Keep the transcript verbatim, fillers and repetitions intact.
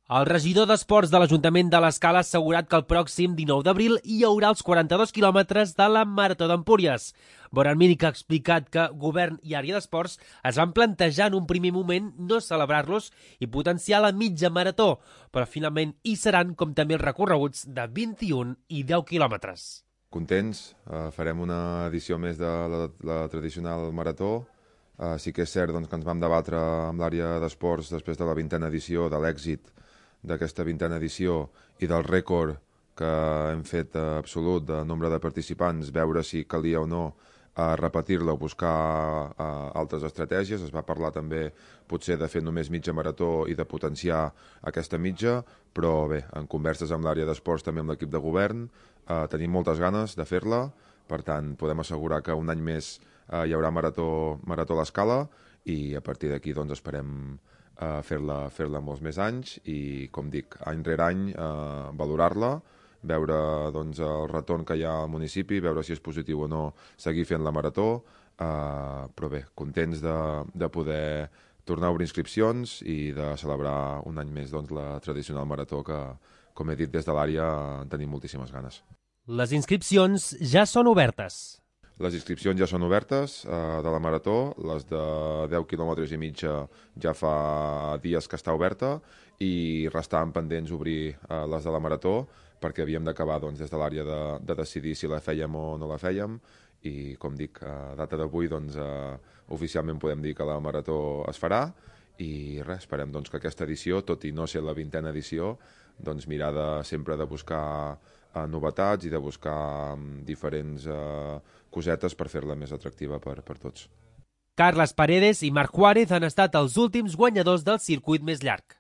El regidor d'Esports de l'Ajuntament de l'Escala ha assegurat que el pròxim dinou d'abril hi haurà els quaranta-dos quilòmetres de la Marató d'Empúries. Boran Míric ha explicat que Govern i Àrea d'Esports es van plantejar en un primer moment no celebrar-los i potenciar la mitja marató, però finalment hi seran, com també els recorreguts de vint-i-un i deu quilòmetres. Contents, eh, farem una edició més de la, la tradicional marató. Eh, sí que és cert doncs, que ens vam debatre amb l'àrea d'esports després de la vintena edició, de l'èxit d'aquesta vintena edició i del rècord que hem fet eh, absolut de nombre de participants, veure si calia o no eh, repetir-la o buscar eh, altres estratègies. Es va parlar també potser de fer només mitja marató i de potenciar aquesta mitja, però bé, en converses amb l'àrea d'esports, també amb l'equip de govern, eh, tenim moltes ganes de fer-la, per tant podem assegurar que un any més eh, hi haurà marató, marató a l'Escala i a partir d'aquí doncs, esperem Uh, fer-la fer-la molts més anys i, com dic, any rere any uh, valorar-la, veure doncs, el retorn que hi ha al municipi, veure si és positiu o no seguir fent la marató, uh, però bé, contents de, de poder tornar a obrir inscripcions i de celebrar un any més doncs, la tradicional marató que, com he dit, des de l'àrea en tenim moltíssimes ganes. Les inscripcions ja són obertes. Les inscripcions ja són obertes eh, de la marató, les de deu quilòmetres i mitja ja fa dies que està oberta i restaven pendents obrir eh, les de la marató perquè havíem d'acabar doncs, des de l'àrea de, de decidir si la fèiem o no la fèiem i, com dic, a data d'avui doncs, eh, oficialment podem dir que la marató es farà i res, esperem doncs, que aquesta edició, tot i no ser la vintena edició, doncs, mirar de, sempre de buscar eh, novetats i de buscar um, diferents eh, cosetes per fer-la més atractiva per, per tots. Carles Paredes i Marc Juárez han estat els últims guanyadors del circuit més llarg.